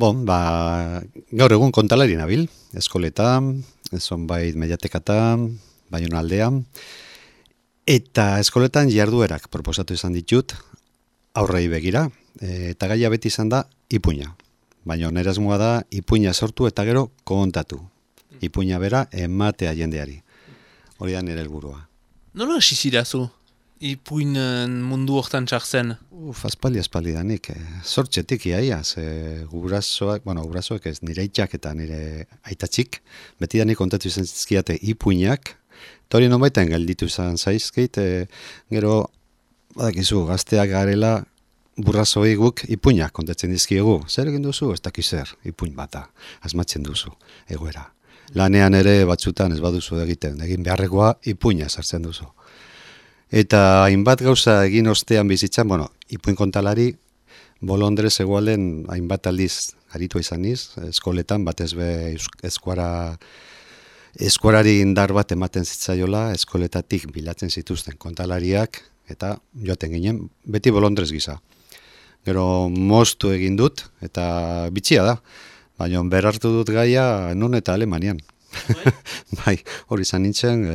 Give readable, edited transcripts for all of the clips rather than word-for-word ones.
Gaur egun kontalari nabil, eskoletan, zonbait mediatekatan, Baiona aldean, eta eskoletan jarduerak proposatu izan ditut, aurrei begira, eta gaia beti izan da ipuina. Baina nire asmoa da ipuina sortu eta gero kontatu. Ipuina bera ematea jendeari. Hori da nire helburua. Nola hasi zirazu ipuinen mundu hortan txartzen? Aspaldi danik. Sortxetik iaia, gurasoak ez, nire itxak eta nire aitatxik, beti danik kontatu izan zizkiate ipuinak, eta hori nonbaitan gelditu izan zaizkeit, gero, badakizu, gazteak garela, burrasoei guk ipuinak kontatzen dizkiegu. Zer egin duzu? Ez dakiz zer, ipuin bata, asmatzen duzu, egoera. Lanean ere batzutan ez baduzu egin beharrekoa ipuina sartzen duzu. Eta hainbat gauza egin ostean bizitzan, ipuin kontalari, Bolondrez egualden hainbat aldiz aritu izan niz, eskoletan batez be eskuarari indar bat ematen zitzaiola, eskoletatik bilatzen zituzten kontalariak, eta joaten ginen, beti Bolondrez gisa. Gero moztu egin dut, eta bitxia da, baina berartu dut gaia nun eta Alemanian. Bai, hori izan nintzen,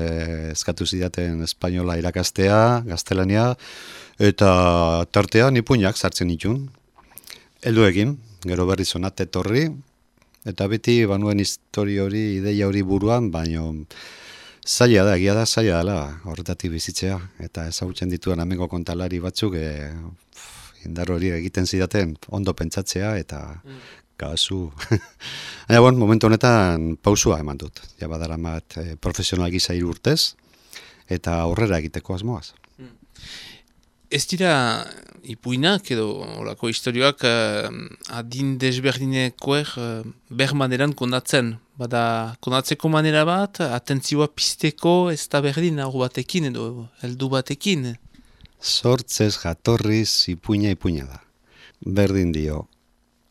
eskatu zidaten espainola irakastea, gaztelania, eta tartean ipuinak sartzen nituen. Heldu egin, gero berriz onat etorri, eta beti banuen histori hori, ideia hori buruan, baina zaila da, egia da, zaila dela horretatik bizitzea, eta ezagutzen dituen amengo kontalari batzuk, indar hori egiten zidaten ondo pentsatzea, eta kasu. Momentu honetan pausua eman dut. Ja badaramat profesional gisa 3 urtez, eta aurrera egiteko asmoaz. Ez dira ipuinak edo olako historioak adin desberdinekoek bermaneran kondatzen. Bada kondatzeko manera bat, atentzioa pizteko ez da berdin aur batekin edo heldu batekin. Sortzez jatorriz ipuina da. Berdin dio.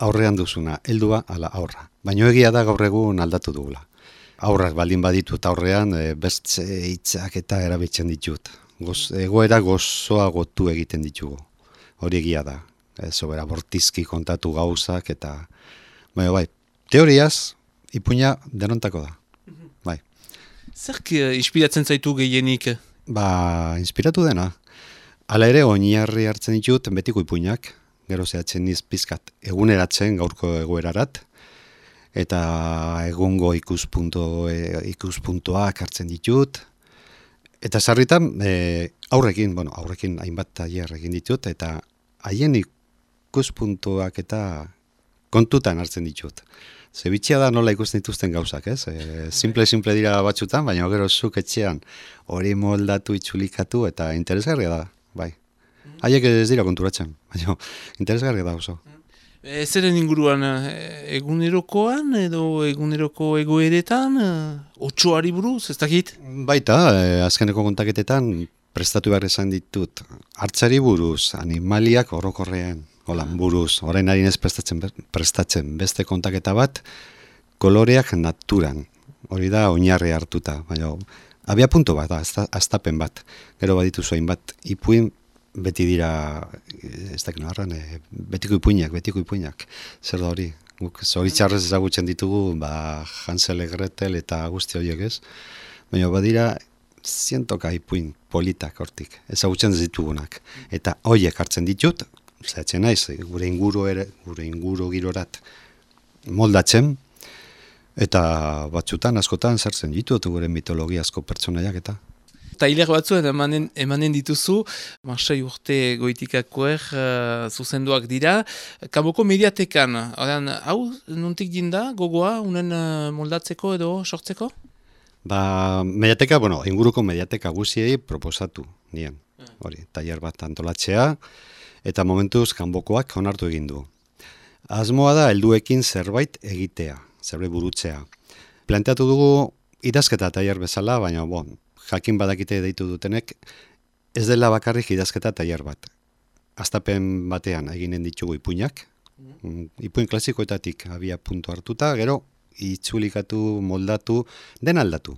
Aurrean duzuna, heldua ala aurra. Baina egia da gaur egun aldatu dugula. Aurrak baldin baditut aurrean, bertze hitzak eta erabiltzen ditut. Egoera gozoa gotu egiten ditugu. Hori egia da. Sobera bortizki kontatu gauzak eta... Bai, teoriaz, ipuina denontako da. Bai. Zerk inspiratzen zaitu gehienik? Inspiratu dena. Hala ere, oinarri hartzen ditut betiko ipuinak. Gero zehatzen niz pizkat eguneratzen gaurko egoerarat, eta egungo ikuspuntoak hartzen ditut. Eta sarritan aurrekin hainbat tailer egin ditut, eta haien ikuspuntoak eta kontutan hartzen ditut. Zebitxia da nola ikusten dituzten gauzak, ez? Simple dira batzutan, baina gero zuk etxean hori moldatu, itzulikatu, eta interesgarria da, bai. Haiek ez dira konturatzen, baina interesgarria da oso. Zeren inguruan, egunerokoan edo eguneroko egoeretan, otsoari buruz, ez dakit? Baita, azkeneko kontaketetan prestatu behar izan ditut. Hartzari buruz, animaliak orokorrean, buruz, orain harin ez prestatzen beste kontaketa bat, koloreak naturan. Hori da oinarri hartuta, baina abia punto bat, astapen bat. Gero baditu zoin bat ipuin, beti dira, ez dakit noarran, betiko ipuinak. Zer da hori? Zoritxarrez ezagutzen ditugu, Hansel, Gretel eta guzti horiek ez. Baina badira, zientoka ipuin politak hortik, ezagutzen ditugunak. Eta horiek hartzen ditut, zehatzen naiz, gure inguru girorat moldatzen, eta batzutan, askotan, sartzen ditut gure mitologiazko pertsonaiak eta. Tailer batzuen emanen dituzu, Marseille urte goitikakoer zuzenduak dira. Kanboko mediatekan, hau nuntik dinda, gogoa, unen moldatzeko edo sortzeko? Mediateka, inguruko mediateka guziei proposatu nien. Hori, tailer bat antolatzea, eta momentuz kanbokoak onartu egin du. Asmoa da helduekin zerbait egitea, zerbait burutzea. Planteatu dugu idazketa tailer bezala, baina jakin badakite deitu dutenek, ez dela bakarrik idazketa tailer bat. Astapen batean eginen ditugu ipuinak, ipuin klasikoetatik abia puntu hartuta, gero itzulikatu, moldatu, den aldatu.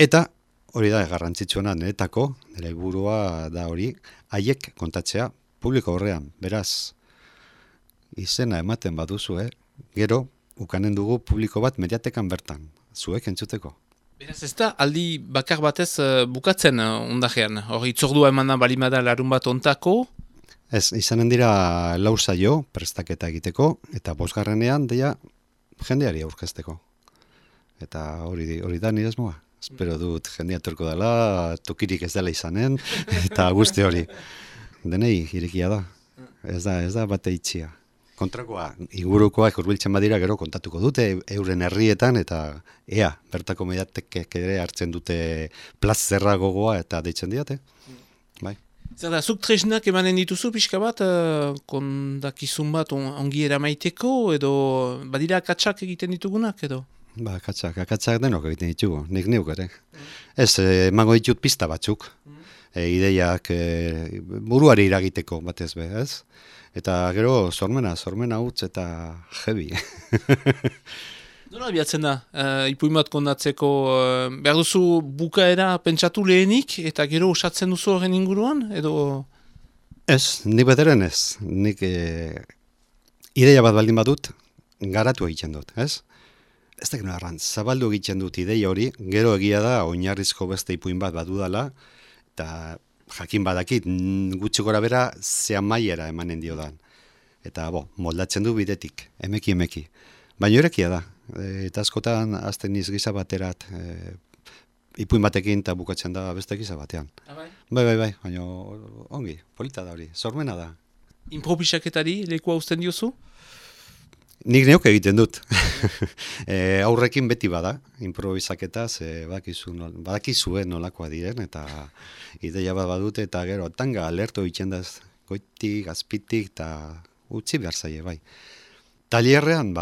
Eta hori da garrantzitsuena niretako, nire helburua da hori, haiek kontatzea publiko horrean, beraz, izena ematen baduzu, gero ukanen dugu publiko bat mediatekan bertan, zuek entzuteko. Beraz ez da, aldi bakar batez bukatzen ondajean. Hor, itzordua emana balimada larun bat ontako. Ez, izanen dira lau saio prestaketa egiteko, eta bosgarrenean deia jendeari aurkezteko. Eta hori da nire asmoa. Espero dut jendea etorko dela, tokirik ez dela izanen, eta guzti hori. Denei irekia da. Ez da bate itxia. Kontrakoa, ingurukoak hurbiltzen badira gero kontatuko dute euren herrietan eta bertako mediatekek ere hartzen dute plazerra gogoa eta deitzen diate. Bai. Zer da, zuk tresnak emanen dituzu pixka bat, kondakizun bat ongi eramaiteko edo badira akatsak egiten ditugunak edo? Ba, akatsak denok egiten ditugu, nik neuk ere. Ez, emango ditut pista batzuk, ideiak buruari iragiteko batez be, ez? Eta gero sormena utz eta jebi. Nola abiatzen da, ipuin bat kondatzeko, behar duzu bukaera pentsatu lehenik eta gero osatzen duzu horren inguruan, edo? Ez, nik bederen ez. Nik ideia bat baldin badut, garatu egiten dut, ez? Ez da gero erran, zabaldu egiten dut ideia hori, gero egia da, oinarrizko beste ipuin bat badudala, eta jakin badakit, gutxi gora bera, zean maiera emanen diodan. Eta, moldatzen du bidetik, emeki. Baina erekia da, eta askotan azten niz giza baterat, ipuin batekin eta bukatzen da beste giza batean. Bai, baina ongi, polita da hori, sormena da. Improvisaketari lekua uzten diozu? Nik neuk egiten dut. Aurrekin beti bada, improvisaketaz, badakizue nolakoa diren, eta ideia bat badute, eta gero tanga alerto itxendaz goitik, azpitik, eta utzi behar zaie, bai. Talierrean,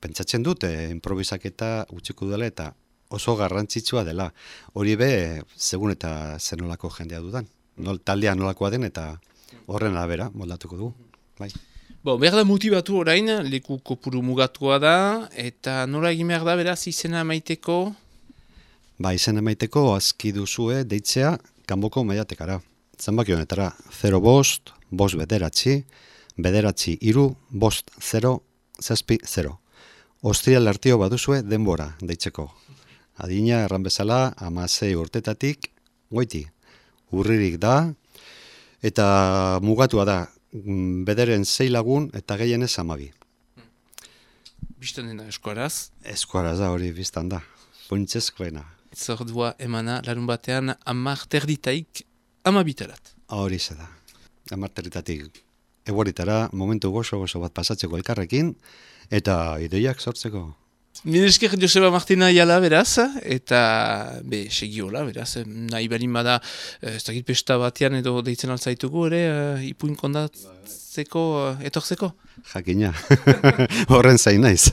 pentsatzen dut, improvisaketa utziko dela, eta oso garrantzitsua dela. Hori be, segun eta zenolako jendea dudan. Taldea nolakoa den, eta horren arabera moldatuko du, bai. Behar da motibatu orain, leku kopuru mugatua da, eta nola egin behar da, beraz, izena maiteko? Izena maiteko, azki duzue, deitzea, kanboko mediatekara. Zenbaki honetara, 0 bost bederatzi, 3, 5, 0, 0. Ostrial artio baduzue denbora, deitzeko. Adina, erran bezala, 16 urtetatik, goiti. Urririk da, eta mugatua da, bederen 6 lagun eta gehienez 12. Bistan dena eskuaraz? Eskuaraz da hori biztan da, funtsezkoena. Zordua emana larun batean 10:00 12:00. Hori ze da, 10:00 egueritara momentu gozo bat pasatzeko elkarrekin eta ideiak sortzeko. Mil esker Joseba Martina jala beraz, eta segiola beraz, nahi berin bada, ez dakit pesta batean edo deitzen altzaitugu ere, ipuin kondatzeko, etortzeko? Jakina, horren zain naiz.